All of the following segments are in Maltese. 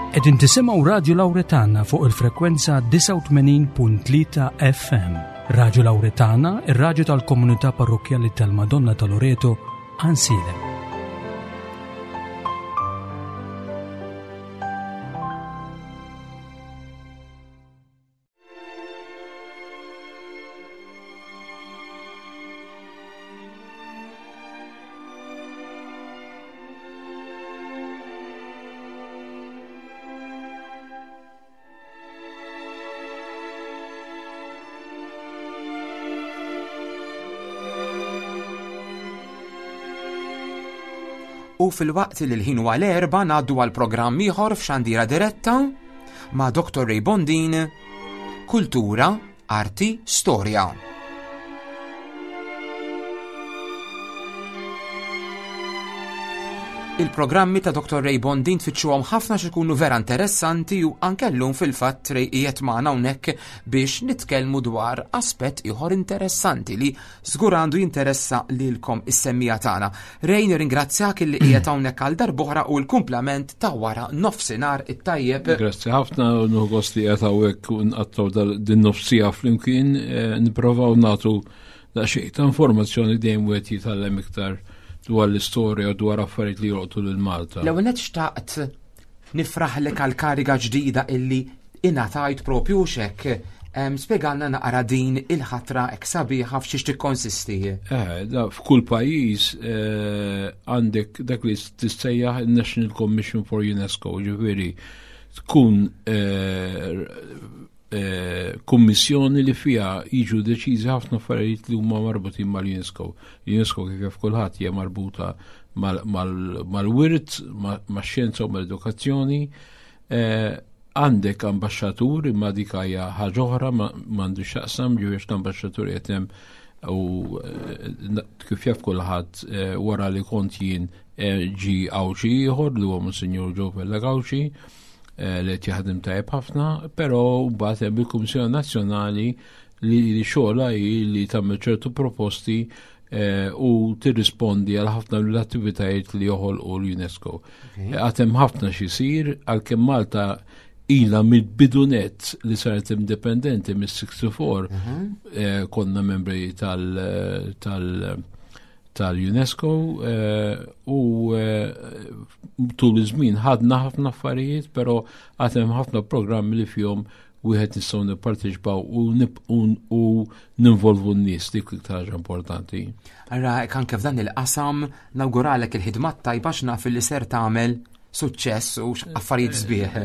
Qegħdin tisimgħu Radju Lawretana fuq il-frekwenza 89.3 FM. Radju Lawretana, ir-radju tal-komunità parrokkjali tal-Madonna ta' Loreto, Ansilem. U fil-waqt li l-ħin huwa l-erba ngħaddu għal programm ieħor f'xandira diretta ma' Dr. Ray Bondin, Kultura, Arti, Storja. Il-programmi ta' Dr. Ray Bondin tfittxuhom ħafna x'ikunu vera interessanti u anke llum fil-fatt Ray qiegħed magħna hawnhekk biex nitkellmu dwar aspett ieħor interessanti li Żgur għandu jinteressa lilkom is-semmiegħa tagħna. Ray nirringrazzjak illi qiegħed hawnhekk għal darb'oħra u l-kumplament ta' wara nofsinhar it-tajjeb. Grazzi ħafna u nieħu gost li qiegħed hawnhekk u nqattgħu din nofsija flimkien eh, nipprovaw nagħtu daqsxejn ta' informazzjoni dejjem wieħed jitgħallem iktar dwar l-istorja u dwar affarijiet li jolqtu lil Malta. L-ewwel nett xtaqt nifraħlek għal kariga ġdida illi ingħatajt propju xek. Spjegalna naqra din il-ħatra hekk sabiħa f'xiex tikkonsisti. Eh, da f'kull pajjiż eh, għandek dak li tissejjaħ il-National Commission for UNESCO, ġifieri tkun eh, kummissjoni li fiha jiġu deċiżi ħafna affarijiet li huma marbutin mal-UNESCO. UNESCO kif jaf kulħadd hija marbuta mal-wirt, max-xjenza u mal-edukazzjoni. Eh, għandek ambaxxatur imma dik hija ħaġa oħra m'għandu x'jaqsam ġifieri l-ambaxxatur qed hemm u eh, kif jaf kulħadd eh, wara li kont jien ġi Għawdxi ieħor li huwa Monsinjur Joe Vella Gawxi Eh, li qed jaħdem tajjeb ħafna, però mbagħad hemm il-Kummissjoni Nazzjonali li xogħla hi li tagħmel ċertu proposti eh, u tirrispondi għal ħafna mill-attivitajiet li joħolqu l-UNESCO. Eh, għad hemm ħafna xisir għalkemm Malta ila mill-bidunet li saret indipendenti mis-64 mhm. konna membri tal- tal tal-UNESCO eh, u eh, tul iż-żmien ħadna ħafna affarijiet, però għad hemm ħafna programmi li fihom wieħed nistgħu nipparteċipaw u ninvolvu n-nies dik iktar ħaġa importanti. Ara anke f'dan il-qasam nawguralek il-ħidma tajba x'naf li ser tagħmel suċċess u affarijiet eh, sbieħ.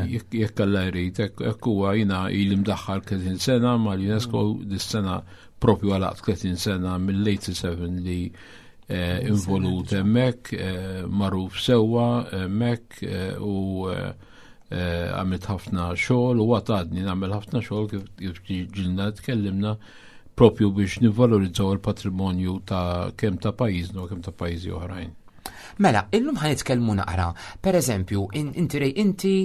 Jekk Alla jrid, hekk huwa jiena ili mdaħħal 30 sena mal-UNESCO dis-sena propju għalaqt 30 sena mill-87 li eh, involut hemmhekk, eh, magħruf sewwa hemmhekk eh, u għamilt ħafna xogħol u għatadni nagħmel ħafna xogħol kif ġilna tkellimna propju biex nivvalorizzaw il-patrimonju ta' kemm ta' pajjiżna u kemm ta' pajjiżi oħrajn. Mela, illum ħan nitkellmu naqra. Per eżempju, inti rej inti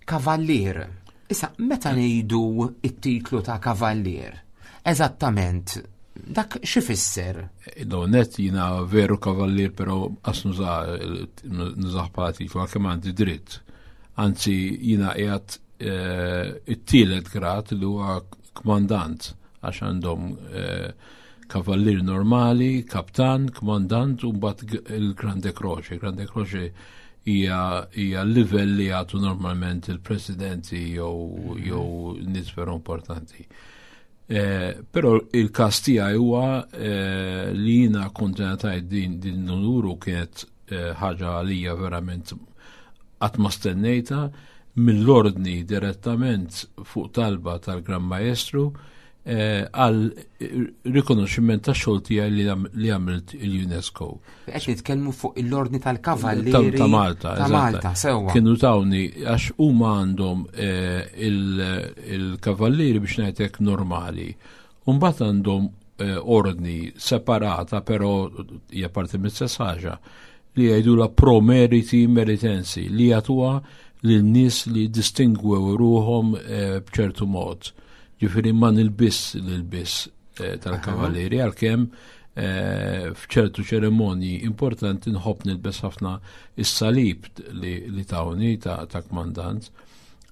kavallier. Issa, meta ngħidu it-titlu ta' kavallier, eżattament dak x'ifisser? No, net jina veru kavallier, pero qas nużaħ bħala titlu għalkemm għandi dritt. Anzi, jina qiegħed eh, it-tielet grad li huwa kmandant għax għandhom eh, kavallier normali, kaptan, kmandant u mbagħad il-Grande Croce. Grande Croce hija hija livell li jagħtu normalment il-presidenti jew jew nies veru importanti. Eh, però il-każ tiegħi huwa eh, li jiena kont ngħatajt din din l-unuru kienet eh, ħaġa għalija verament qatt ma stennejta mill-ordni direttament fuq talba tal-Gran Maestru eh, għal rikonoxximent ta' xogħol tiegħi li għamilt il-UNESCO. Qed nitkellmu fuq l-Ordni tal-Kavallieri ta' Malta, ta' Malta, sewwa. Kienu tawni għax huma għandhom eh, il-kavallieri biex ngħidlek normali. Mbagħad għandhom eh, ordni separata, però hija parti mill-istess ħaġa li jgħidula pro meriti meritensi li jagħtuha lil nies li distingwew ruhom b'ċertu mod. Ġifieri ma nilbiss l-ilbies eh, tal-kavallieri għalkemm eh, f'ċertu ċerimonji importanti nħobb nilbes ħafna is-salib li, li tawni ta', ta kmandant.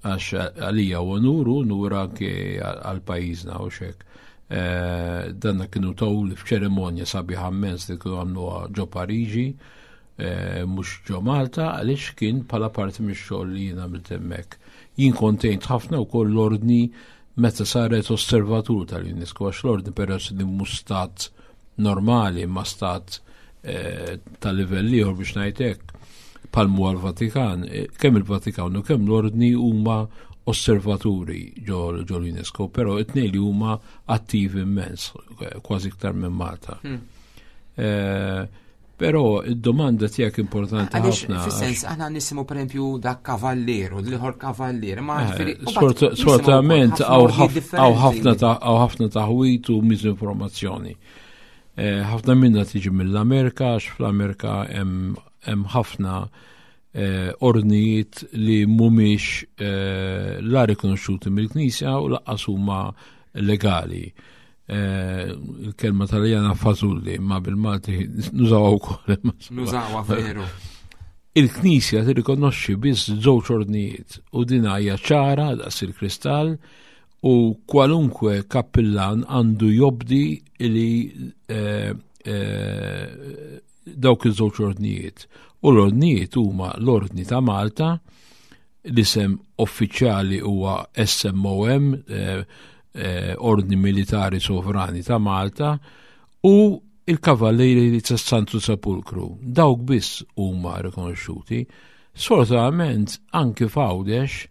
Għax għalija u onur u onur anke għal pajjiżna u xek. Eh, danna kienu taw li f'ċerimonja sabiħa immens li kienu għamluha ġo Pariġi, eh, mhux ġo Malta, għaliex kien bħala parti mix-xogħol li jien għamilt hemmhekk. Jien kontejnt ħafna wkoll l-ordni meta saret osservatur tal-UNESCO, għax l-ordni peress li mhux stat normali ma stat eh, ta' livell ieħor biex ngħid hekk palmu għal-Vatikan, eh, kemm il-Vatikan u kemm l-ordni huma osservaturi ġo l-UNESCO, però it-tnejn li huma attivi immens, eh, kważi iktar minn Malta. Hmm. Eh, Però id-domanda tiegħek importanti ħafna. Fis-sens aħna nisimgħu pereżempju dak kavallier u l-ieħor kavallier, ma eh, Sfortunatament hawn ħafna taħwit u miżinformazzjoni. Eh, ħafna minna tiġi mill-Amerika, għax fl-Amerika hemm ħafna eh, ordnijiet li mhumiex la rikonoxxuti mill-Knisja u laqqas huma legali. Eh, il-kelma taljana fażulli, ma bil-Malti nużawha wkoll. Nużawha veru. Il-Knisja tirrikonoxxi biss żewġ ordnijiet u din hija ċara daqs il-kristall u kwalunkwe kappillan għandu jobdi li eh, eh, dawk iż-żewġ ordnijiet. U l-ordnijiet huma l-Ordni ta' Malta, l-isem uffiċjali huwa SMOM, eh, eh, Ordni Militari Sovrani ta' Malta, u il-Kavallieri ta' Santu Sepulkru. Dawk biss huma rikonoxxuti. Sfortunatament anki f'Għawdex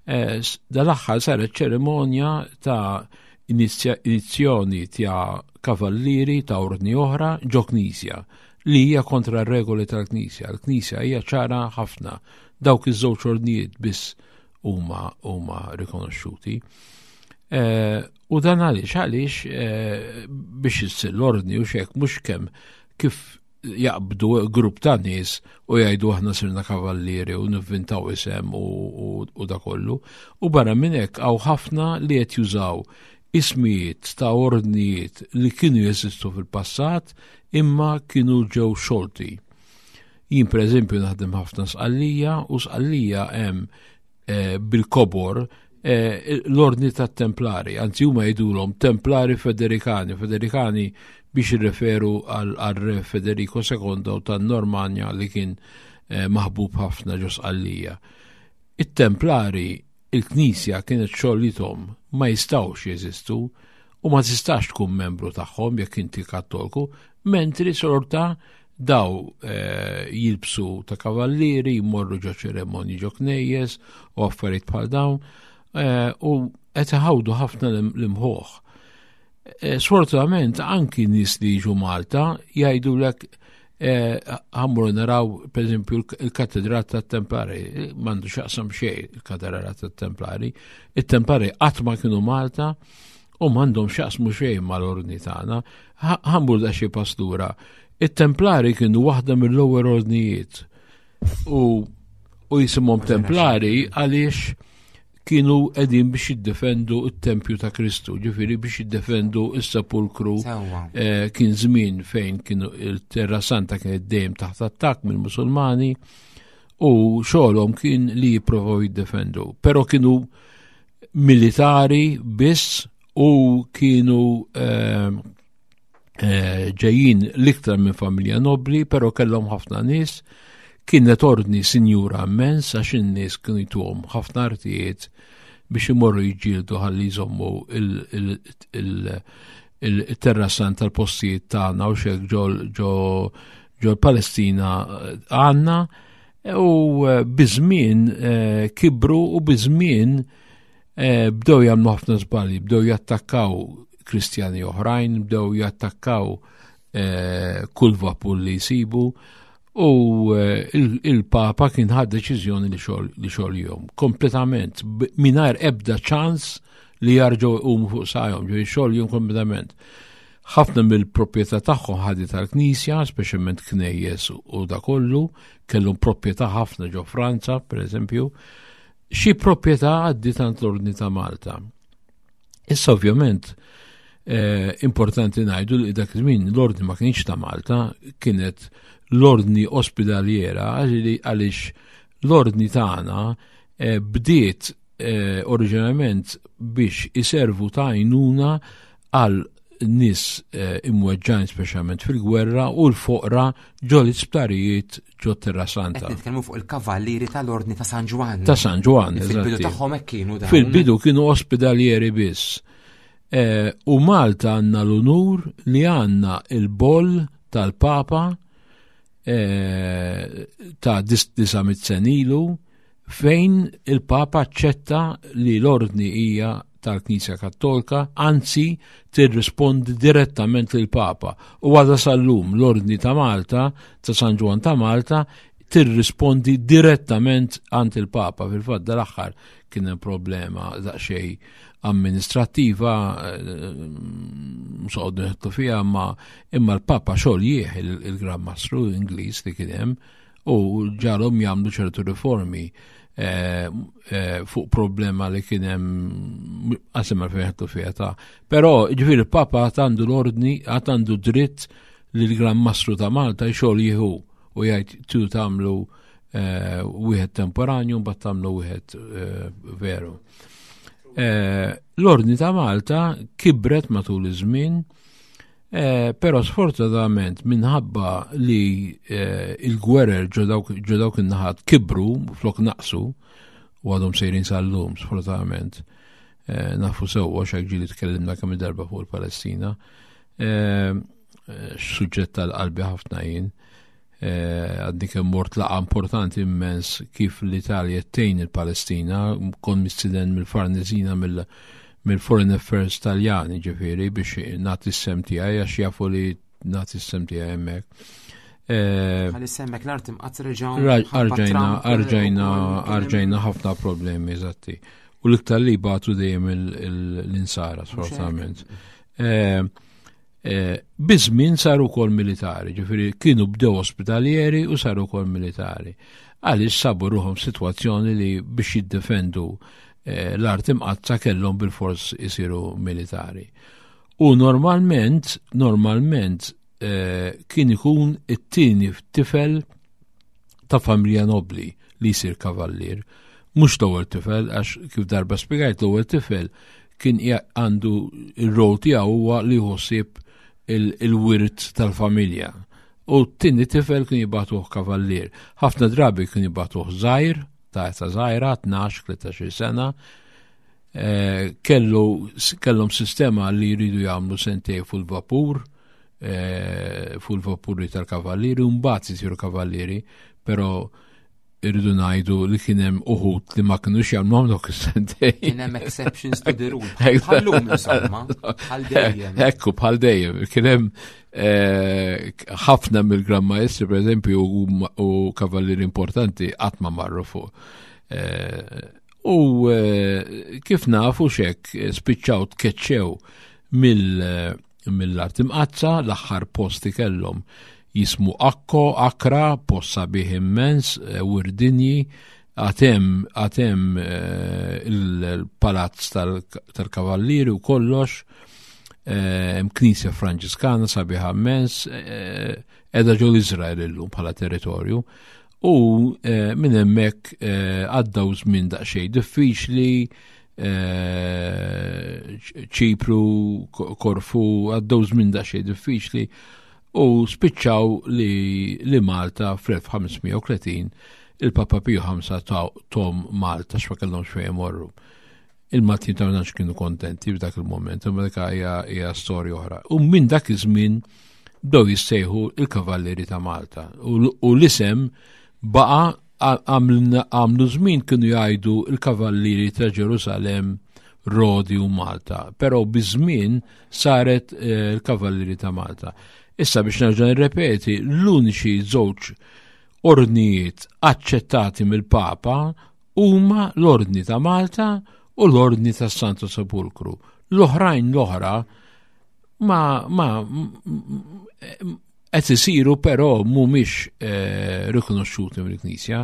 eh, dal-aħħar saret ċerimonja ta' inizjoni ta' kavallieri ta' ordni oħra ġo knisja li hija kontra r-regoli tal-Knisja. L-Knisja hija ċara ħafna. Dawk iż-żewġ ordnijiet biss huma huma rikonoxxuti. Eh, u dan għaliex għaliex eh, biex issir l-ordni u xek mhux kemm kif jaqbdu grupp ta' nies u jgħidu aħna sirna kavallieri u nivvintaw isem u, u, da kollu. U barra minn hekk hawn ħafna li qed jużaw ismijiet ta' ordnijiet li kienu jeżistu fil-passat imma kienu ġew xolti. Jien pereżempju naħdem ħafna sqallija u sqallija hemm eh, bil-kobor eh, l-ordni tat-Templari, anzi huma jgħidulhom Templari Federikani, Federikani biex jirreferu għal re Federico II tan-Normanja li kien eh, maħbub ħafna ġo Sqallija. It-Templari il-Knisja kienet xogħlithom ma jistgħux jeżistu u ma tistax tkun membru tagħhom jekk inti kattolku, mentri sorta daw eh, jilbsu ta' kavallieri, jmorru ġo ċeremonji ġo knejjes u affarijiet bħal dawn eh, u qed iħawdu ħafna l-imħuħ. Eh, sfortunatament anki nies li jiġu Malta jgħidulek ħammur naraw per eżempju il-katedral tat-Templari, m'għandu x'jaqsam xejn il-katedral tat-Templari. It-Templari qatt ma kienu Malta u m'għandhom x'jaqsmu xejn mal-ordni tagħna. Ħammur da xi pastura. It-Templari kienu waħda mill-ewwel ordnijiet u u jisimhom Templari għaliex kienu qegħdin biex jiddefendu t-tempju ta' Kristu, ġifieri biex jiddefendu s-sepulkru. Eh, kien żmien fejn kienu il-Terra Santa kienet dejjem taħt attakk mill-Musulmani u xogħolhom kien li jipprovaw jiddefendu. Però kienu militari biss u kienu eh, eh, ġejjin l-iktar minn familja nobli, però kellhom ħafna nies. Kienet ordni sinjura immens għax in-nies kienu jtuhom ħafna artijiet biex imorru jiġġieldu ħalli jżommu il-terrasan tal-postijiet tagħna u xek ġol ġol Palestina eh, għandna u eh, biżmien kibru u biżmien Eh, bdew jagħmlu ħafna żbalji, bdew jattakkaw Kristjani oħrajn, bdew jattakkaw eh, kull vapur li jsibu u eh, il-Papa kien ħad deċiżjoni li xogħol kompletament mingħajr ebda ċans li jarġgħu jqumu fuq sajhom, ġifieri xogħol kompletament. Ħafna mill-proprjetà tagħhom ħadi tal-Knisja, speċjalment knejjes u da kollu, kellhom proprjetà ħafna ġo Franza, per eżempju, xi proprjetà għaddiet għand l-Ordni ta' Malta. Issa ovvjament eh, importanti ngħidu li dak iż-żmien l-Ordni ma kienx ta' Malta, kienet l-Ordni Ospedaliera għaliex l-Ordni tagħna eh, bdiet eh, oriġinarjament biex iservu ta' għajnuna għal nies eh, imweġġajn speċjalment fil-gwerra u l-foqra ġo l-isptarijiet ġo Terra Santa. Qed nitkellmu fuq il-kavallieri tal-Ordni ta' San Ġwann. Ta' San Ġwann, Fil-bidu tagħhom hekk kienu dawn. Fil-bidu kienu ospedalieri biss. Eh, u Malta għandna l-unur li għandna il-boll tal-Papa eh, ta' 900 senilu fejn il-Papa aċċetta li l-ordni hija tal-Knisja Kattolika, anzi tirrispondi direttament lil Papa. U għadha sal-lum l-Ordni ta' Malta, ta' San Ġwan ta' Malta, tirrispondi direttament għand il-Papa. Fil-fatt dal-aħħar kien hemm problema daqsxejn amministrattiva, eh, soqgħod nħettu fiha, ma imma l-Papa xogħol jieħ il-Gran Mastru Ingliż li kien hemm u ġalhom jagħmlu ċertu riformi eh, eh, fuq problema li kien hemm qasim fejn ħettu fiha ta' Però ġifieri il-Papa għad għandu l-ordni, għad għandu dritt li l-Gran Mastru ta' Malta xogħol jieħu u jgħid tu tagħmlu eh, wieħed temporanju mbagħad tagħmlu wieħed eh, veru. Eh, l-Ordni ta' Malta kibret matul iż-żmien, però sfortunatament minħabba li il-gwerer ġo dawk in-naħat kibru flok naqsu u għadhom sejrin sal-lum sfortunatament. Nafu sewwa x'hekk ġieli tkellimna kemm darba fuq il-Palestina. Suġġett tal-qalbi ħafna jien. Eh, għadni kemm mort laqa importanti immens kif l-Italja tgħin il-Palestina, kon mistiden mill-Farnesina mill-Foreign Affairs Taljani ġifieri biex nagħti s-sem tiegħi għax jafu li nagħti s-sem tiegħi hemmhekk. Eh, Għalli semmek l-art imqatt reġgħu. Arġajna, arġajna, arġajna ħafna problemi, eżatti. U l-iktar li batu dejjem l-insara, sfortunatament. Eh, Eh, biż-żmien saru wkoll militari, ġifieri kienu bdew ospitalieri u saru wkoll militari. Għaliex sabu ruħhom sitwazzjoni li biex jiddefendu eh, l-art imqazza kellhom bil-fors isiru militari. U normalment, normalment eh, kien ikun it-tieni tifel ta' familja nobli li jsir kavallier. Mhux l-ewwel tifel, għax kif darba spjegajt l-ewwel tifel kien għandu il-rol tiegħu huwa li jħossib il-wirt tal-familja. U t-tieni tifel kien jibatuh kavallier. Ħafna drabi kien jibatuh żgħir, ta' età żgħira, 12-13 sena, eh, kellu kellhom sistema li jridu jagħmlu sentej fuq il-vapur, eh, fuq il-vapuri tal-kavallieri, u mbagħad isiru kavallieri, però irridu ngħidu li kien hemm uħud li ma kinux jagħmluhom dawk is-sentejn. Kien hemm exceptions to the rule. Bħallum insomma, bħal dejjem. Ekku bħal dejjem. Kien hemm eh, ħafna mill-Gran Maestri pereżempju u kavallieri importanti qatt ma marru fuq. Eh, u eh, kif nafu xek spiċċaw tkeċċew mill- mill-Art Imqaddsa, l-aħħar post li kellhom jismu Akko, Akra, post sabiħ immens, eh, wirdinji, għatem għatem eh, il-palazz tal-kavallieri u kollox, eh, hemm knisja Franġiskana sabiħa immens, edha ġol Izrael illum bħala territorju. U minn hemmhekk għaddaw żmien daqsxejn diffiċli, Eh, ċipru, Korfu, għaddew żmien daqsxejn diffiċli u spiċċaw li, li Malta fl-1530 il-Papa Pio V tom Malta x'ma kellhomx fejn imorru. Il-Maltin ta' kienu kontenti f'dak il-moment, imma dik hija storja oħra. U minn dak iż-żmien bdew jissejħu il-Kavallieri ta' Malta u l-isem baqa' Għamlu żmien kienu jgħidu l-Kavallieri ta' Ġerusalemm, Rodi u Malta, però biż-żmien saret eh, l-Kavallieri ta' Malta. Issa biex nerġa' nirrepeti, l-uniċi żewġ ordnijiet aċċettati mill-Papa huma l-Ordni ta' Malta u l-Ordni tas Santo Sepulkru. L-oħrajn l-oħra ma, ma qed isiru però mhumiex eh, rikonoxxuti mill-Knisja.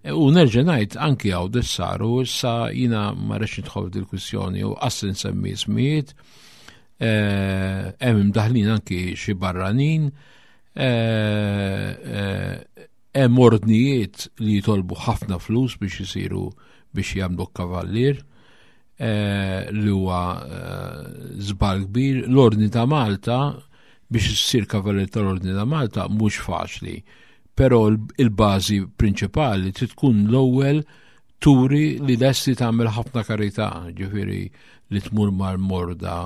E, u nerġa' ngħid anki hawn saru issa jiena ma rridx nidħol dil-kwistjoni u qas nsemmi ismijiet. Eh, hemm imdaħlin anki xi barranin. Eh, hemm ordnijiet li jitolbu ħafna flus biex isiru biex jagħmlu kavallier eh, li huwa eh, żball kbir. L-Ordni ta' Malta biex issir kavallier tal-Ordni ta' Malta mhux faċli. Però il-bażi prinċipali trid tkun l-ewwel turi li lesti tagħmel ħafna karità, ġifieri li tmur mal-morda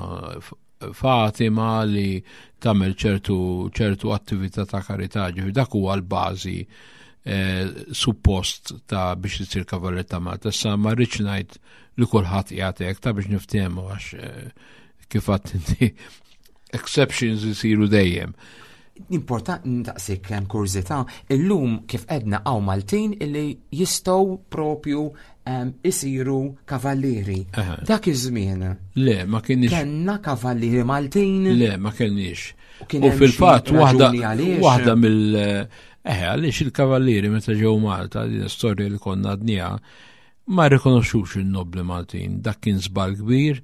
Fatima li tagħmel ċertu ċertu attività ta' karità, ġifieri dak huwa l-bażi eh, suppost ta' biex isir kavallier ta' Malta. Issa ma rridx ngħid li kulħadd qiegħed hekk ta' biex niftehmu għax eh, kif għadt inti exceptions isiru dejjem. Importanti ntaqsik hemm kurżità, illum kif edna hawn Maltin illi jistgħu propju isiru kavallieri. Dak iż-żmien. Le, ma kienx. Kenna kavallieri Maltin. Le, ma kenniex. U fil-fatt waħda waħda mill eh għaliex il-kavallieri meta ġew Malta, din storja li konna għadniha, ma rikonoxxux in-nobli Maltin, dak kien żball kbir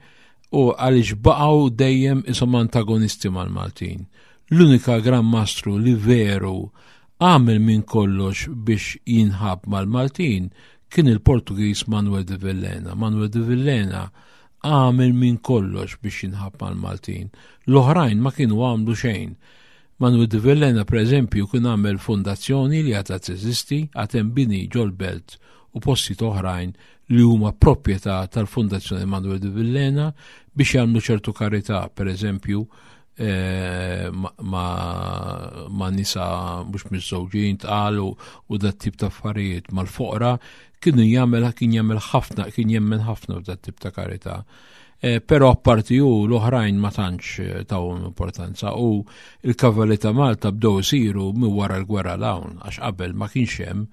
u għaliex baqgħu dejjem ishom antagonisti mal-Maltin. L-unika Gran Mastru li veru għamel minn kollox biex jinħab mal-Maltin kien il-Portugiż Manuel de Villena. Manuel de Villena għamel minn kollox biex jinħab mal-Maltin. L-oħrajn ma kienu għamlu xejn. Manuel de Villena, per eżempju, kien għamel fondazzjoni li għadha teżisti, għad hemm bini ġol-belt u postijiet oħrajn li huma proprjetà tal-Fondazzjoni Manuel de Villena biex jagħmlu ċertu karità, per eżempju, eh, ma, ma nisa mhux miżżewġin tqal u dat tip ta' affarijiet mal-foqra kienu jagħmel kien jagħmel ħafna kien jemmen ħafna f'dat tip ta' karità. Eh, però apparti hu l-oħrajn ma tantx eh, tawhom importanza u il-kavalli ta' Malta bdew isiru minn wara l-gwerra l-hawn għax qabel ma kienx hemm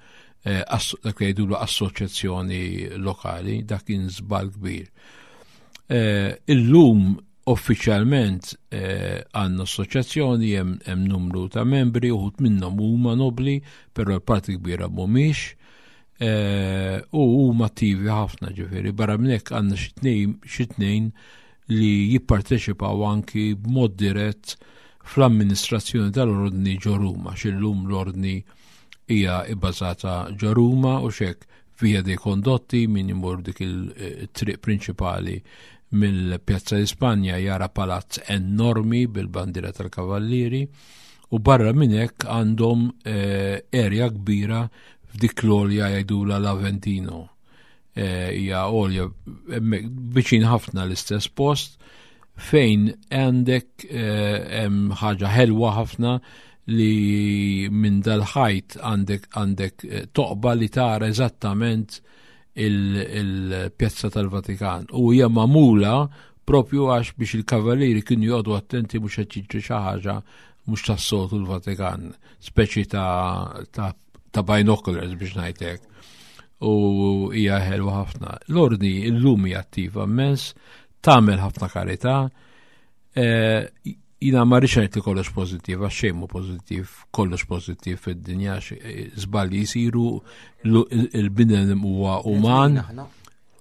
Eh, dak li jgħidulu assoċjazzjoni lokali, dak kien żball kbir. Eh, illum uffiċjalment eh, għandna assoċjazzjoni hemm numru ta' membri, uħud minnhom huma nobli, però l-parti kbira mhumiex. U huma attivi ħafna ġifieri, barra minn hekk għandna xi tnejn li jipparteċipaw anki b'mod dirett fl-amministrazzjoni tal-ordni ġo Ruma, x'illum l-ordni hija bbażata ġo Ruma u xek Via dei Condotti min imur dik il-triq prinċipali mill-Pjazza Ispanja jara palazz enormi bil-bandiera tal-Kavallieri u barra minn hekk għandhom eh, area kbira f'dik l-olja jgħidula l-Aventino. Eh, hija għolja viċin ħafna l-istess post fejn għandek eh, hemm ħaġa ħelwa ħafna li minn dal-ħajt għandek għandek eh, toqba li tara eżattament il-pjazza tal-Vatikan u hija magħmula propju għax biex il-kavallieri kienu joqogħdu attenti mhux qed jiġri xi ħaġa mhux tas-soltu l-Vatikan, speċi ta', ta ta' binoculars biex ngħidlek. U hija ħelwa ħafna. L-ordni illum hija attiva immens, tagħmel ħafna karità. Eh, jina ma rridx ngħid li kollox pożittiv, għax xejn mhu pożittiv, kollox pożittiv fid-dinja, eh, żbalji jsiru, il-bnedem huwa uman.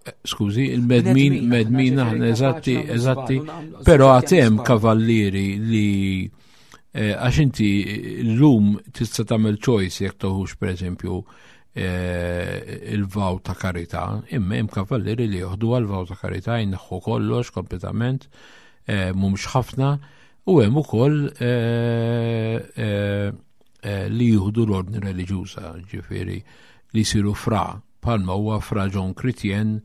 Eh, skużi, il-medmin, medmin aħna eżatti, eżatti, però għatem kavallieri li Eh, għax inti l-lum tista' tagħmel choice jekk toħux pereżempju eh, il-vaw ta' karità, imma hemm kavallieri li joħdu għal vaw ta' karità jneħħu kollox kompletament, eh, mhumiex ħafna, u hemm ukoll li jieħdu l-ordni reliġjuża, ġifieri li jsiru fra, bħalma huwa fra John Chrétien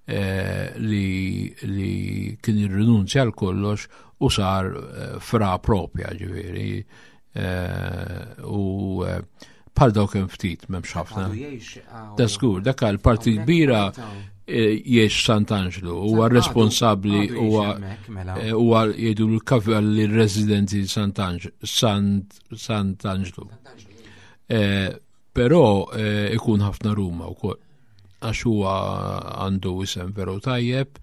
eh, li, li kien irrinunzja l kollox u sar eh, fra propja ġifieri eh, u bħal dawk hemm ftit m'hemmx ħafna. Da żgur, dak għal parti kbira jiex Sant'Anġlu, huwa responsabbli huwa mela. huwa jgħidu l-kavalli residenti Sant'Anġlu. Però ikun ħafna Ruma wkoll għax huwa għandu isem veru tajjeb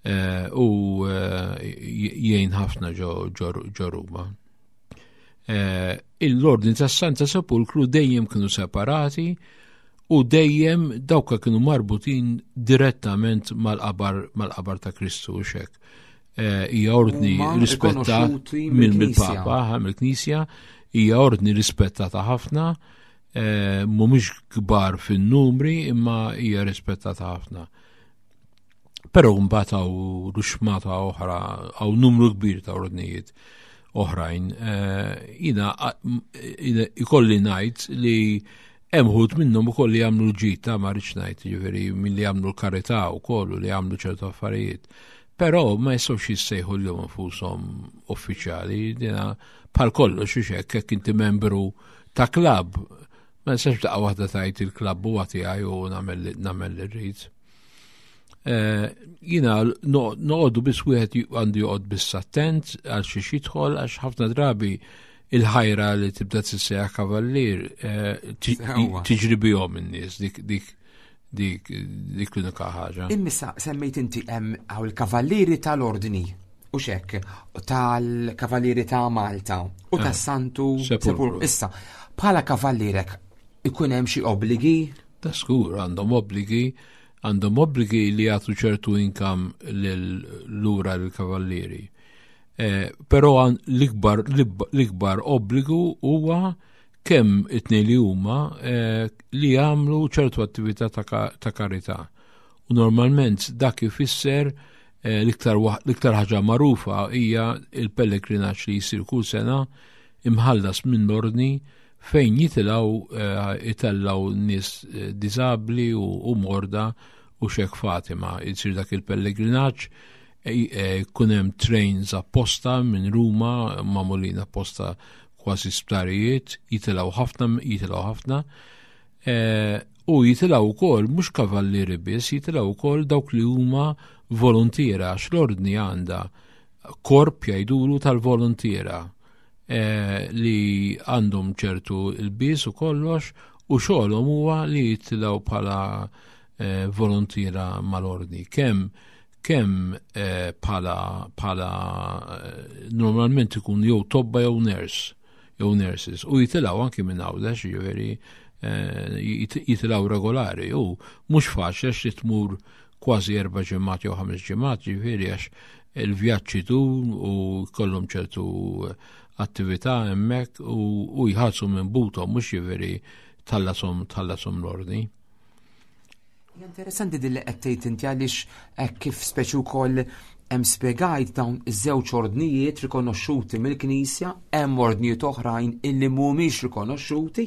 eh, u eh, jgħin ħafna ġo Ruma. Eh, l-ordni tas Santa Sepulkru dejjem kienu separati u dejjem dawka kienu marbutin direttament mal-qabar mal-qabar ta' Kristu u xek. Hija ordni rispettata mill-Papa, mill-Knisja, hija ordni rispettata ħafna. Eh, mhumiex kbar fin-numri imma hija rispettata ħafna. Però mbagħad hawn ruxmata oħra, hawn numru kbir ta' ordnijiet oħrajn. Eh, jina ikolli ngħid li hemm ħut minnhom ukoll li jagħmlu l-ġid ta' ma rridx ngħid, jiġifieri min li jagħmlu l-karità wkoll u li jagħmlu ċertu affarijiet. Però ma jistgħux jissejħu llum infushom uffiċjali, dina bħal kollox hekk jekk inti membru ta' klabb, ma nistax daqqa waħda tajt il-klabb huwa tiegħi u nagħmel li rrid. Eh, jina noqogħdu biss wieħed għandu joqgħod biss attent għal xi jidħol għax ħafna drabi il-ħajra li tibda tissejjaħ kavallier eh, tiġri bihom in-nies dik dik dik dik l-unika ħaġa. Immissa semmejt inti hemm hawn il-kavallieri tal-ordni u xek tal-kavallieri ta' Malta u eh, tas-Santu Sepulkru. Issa, bħala kavallierek ikun hemm xi obbligi? Ta' skur għandhom obbligi għandhom obbligi li jagħtu ċertu income lura lill-kavallieri. Eh, però l-ikbar l-ikbar obbligu huwa kemm it-tnejn li huma eh, li jagħmlu ċertu attività ta' karità. U normalment dak ifisser eh, l-iktar ħaġa magħrufa hija il-pellegrinaġġ li jsir kull sena imħallas minn l-ordni fejn jitilgħu eh, itellaw nies eh, diżabbli u morda u xek Fatima. Jsir dak il-pellegrinaġġ kun hemm trains apposta minn Ruma magħmulin apposta kważi sptarijiet, jitilgħu ħafna, jitilgħu ħafna. Eh, u jitilgħu wkoll mhux kavallieri biss, jitilgħu wkoll dawk li huma volontiera għax l-ordni għandha korp jgħidulu tal-volontiera eh, li għandhom ċertu il-bies u kollox u xogħolhom huwa li jitilgħu bħala eh, volontiera mal-ordni. Kemm kemm bħala bħala normalment ikun jew tobba jew nurse jew nurses u jitilgħu anki minn Għawdex, jiġifieri eh, jitilgħu regolari u mhux faċli għax li tmur kważi erba' ġimgħat jew ħames ġimgħat, jiġifieri għax il-vjaġġ itul u kollhom ċertu attività hemmhekk u jħallsu minn buthom mhux jiġifieri tħallasom tħallasom l-ordni. Interessanti din li qed tgħid inti għaliex hekk kif speċi wkoll hemm spjegajt dawn iż-żewġ ordnijiet rikonoxxuti mill-Knisja, hemm ordnijiet oħrajn illi mhumiex rikonoxxuti,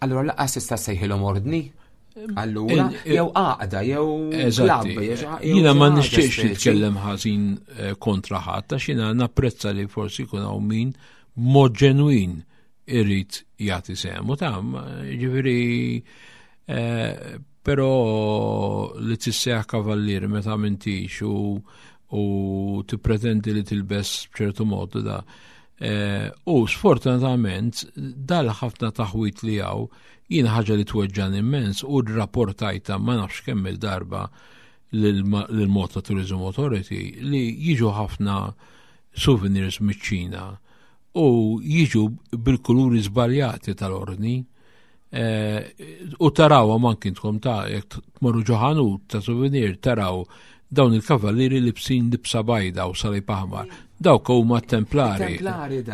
allura laqas tista' sejħilhom ordni. Allura, jew għaqda, jew klabb. Jiena ma nixtieqx nitkellem ħażin eh, kontra ħadd, għax jiena napprezza li forsi jkun hawn min b'mod ġenwin irid jagħti sehmu ta' ġifieri eh, però li tisseħ kavallier meta m'intix u u tippretendi li tilbes b'ċertu mod da. Eh, u sfortunatament dal ħafna taħwit li hawn jien ħaġa li tweġġan immens u rrapportajta ma nafx kemm il-darba lill-Malta Tourism Authority li jiġu ħafna souvenirs miċ-Ċina u jiġu bil-kuluri żbaljati tal-ordni eh, u tarawhom anki intkom ta' jekk tmorru ġo ħanut ta' souvenir taraw dawn il-kavallieri libsin libsa bajda u salib aħmar. Dawk huma templari.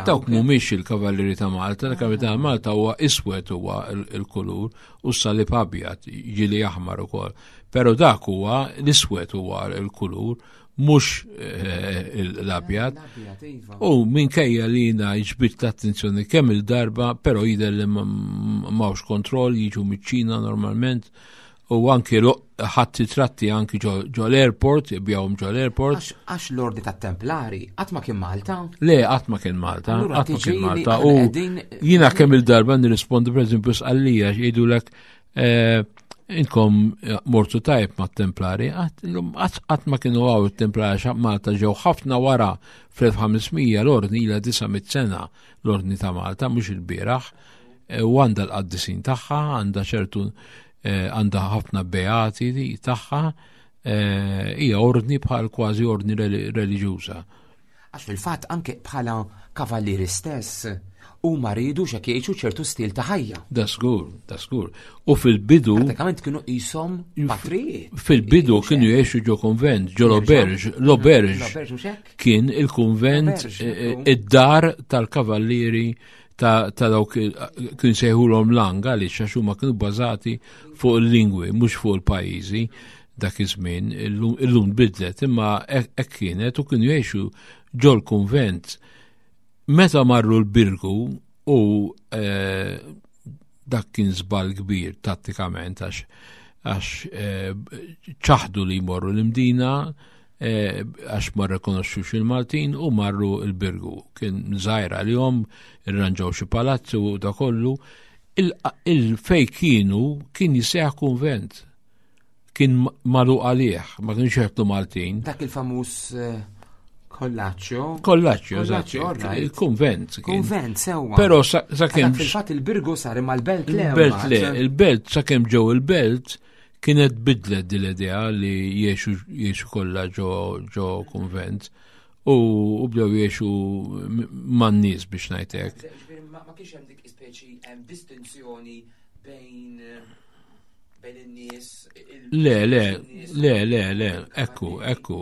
Dawk mhumiex il-kavallieri ta' Malta, il-kavallieri ta' Malta huwa iswed huwa il-kulur u s-salib abjad ġili aħmar ukoll. Però dak huwa l-iswed huwa l-kulur mhux eh, l-abjad. Iva. U minkejja li jina ġbit l-attenzjoni kemm il-darba, però jidher li m'hawnx kontroll, jiġu miċ-Ċina normalment u anki ħadd tratti anki ġo l-airport, ibjawhom ġo l-airport. Għax l-ordi tat-Templari qatt ma kien Malta? Le, qatt ma kien Malta, qatt ma kien Malta. U jiena kemm il-darba nirrispondi pereżempju sqallija jgħidulek eh, Inkom eh, mortu tajb ma' templari, qatt ma kienu għaw il-templari xa Malta ġew ħafna wara fl-1500 l-ordni ila 900 sena l-ordni ta' Malta, mhux il-bieraħ, eh, u għandha l-qaddisin tagħha, għandha ċertu eh, għandha ħafna beati tagħha, hija ordni bħal kważi ordni reliġjuża. Għax fil-fatt anke bħala kavallieri stess huma riedu x'hekk jgħixu ċertu stil ta' ħajja. Da żgur, da żgur. U fil-bidu. Pratikament kienu qishom patrijiet. Fil-bidu kienu jgħixu ġo konvent, ġo l-auberge, l-auberge kien il-konvent eh, id-dar tal-kavallieri ta' dawk kien sejħulhom lang għaliex għax huma kienu bbażati fuq il-lingwi mhux fuq il-pajjiżi dak iż-żmien illum bidlet imma hekk kienet u kienu jgħixu ġol kunvent. Meta marru l-Birgu u eh, dak kien żball kbir tattikament għax għax eh, ċaħdu li jmorru l-Imdina eh, għax ma rrekonoxxux il-Maltin u marru l-Birgu. Kien żgħir għalihom, irranġaw xi palazzi u da kollu. Il-fej kienu kien jisejħ kunvent. Kien malu għalih, ma kienx jeħdu Maltin. Dak il-famuż eh, Kollaċċjo. Kollaċċjo, eżatt. Il-kunvent. Kunvent, sewwa. Però sakemm. Fil-fatt il-Birgu sar imma l-belt le. Il-belt le, il-belt sakemm ġew il-belt kienet bidlet din l-idea li jiexu jiexu kollha ġo ġo kunvent u bdew jiexu man-nies biex ngħidlek. Ma kienx hemm dik ispeċi hemm distinzjoni bejn bejn in-nies. Le, le, le, le, le, ekku, ekku,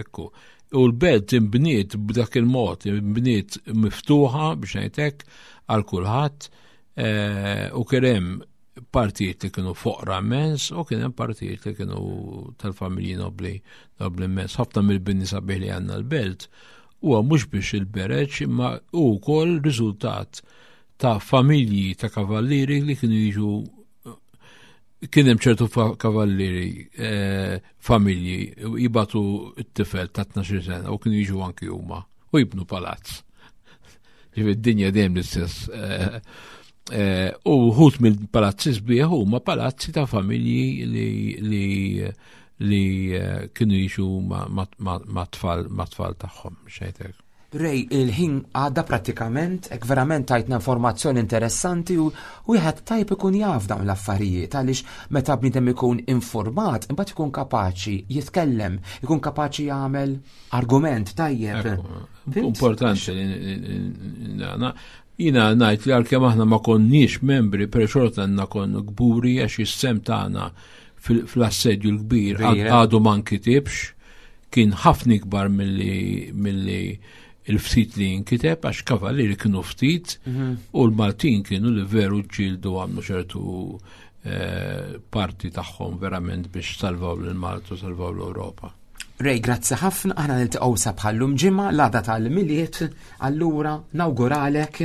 ekku. U l-belt imbniet b'dak il-mod, imbniet miftuħa biex ngħidlek għal kulħadd eh, u kien hemm partijiet li kienu foqra immens u kien hemm partijiet li kienu tal-familji nobli nobli immens. Ħafna mill-bini sabiħ li għandna l-belt huwa mhux biex il-bereġ imma hu wkoll riżultat ta' familji ta' kavallieri li kienu jiġu kien hemm ċertu kavallieri eh, familji jibatu t-tifel ta' 12 sena u kienu jiġu anki huma u jibnu palazz. Ġifieri d-dinja dejjem l-istess. Eh, eh, u wħud mill-palazzi sbieħ huma palazzi ta' familji li li li kienu jiġu ma' tfal ma' tfal tagħhom xejtek. Ray, il-ħin għadda prattikament, hekk verament tajtna informazzjoni interessanti u wieħed tajb ikun jaf dawn l-affarijiet għaliex meta bniedem ikun informat imbagħad ikun kapaċi jitkellem, ikun kapaċi jagħmel argument tajjeb. Importanti li jina ngħid li għalkemm aħna ma konniex membri, per xorta għandna konnu kburi għax is-sem tagħna fl-assedju l-kbir għadu ma nkitibx kien ħafna ikbar milli il-ftit li jinkiteb għax kavallieri kienu ftit mhm. u l-Maltin kienu li veru ġildu għamlu ċertu eh, parti tagħhom verament biex salvaw l-Malta u salvaw l-Ewropa. Rej, grazzi ħafna, aħna niltaqgħu sa bħallum ġimgħa l-għada tal-miliet, allura nawguralek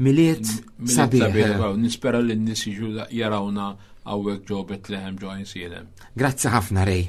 miliet sabiħ. Nispera li n-nies jiġu jarawna hawnhekk ġo Betlehem ġo Għajnsielem. Grazzi ħafna Rej.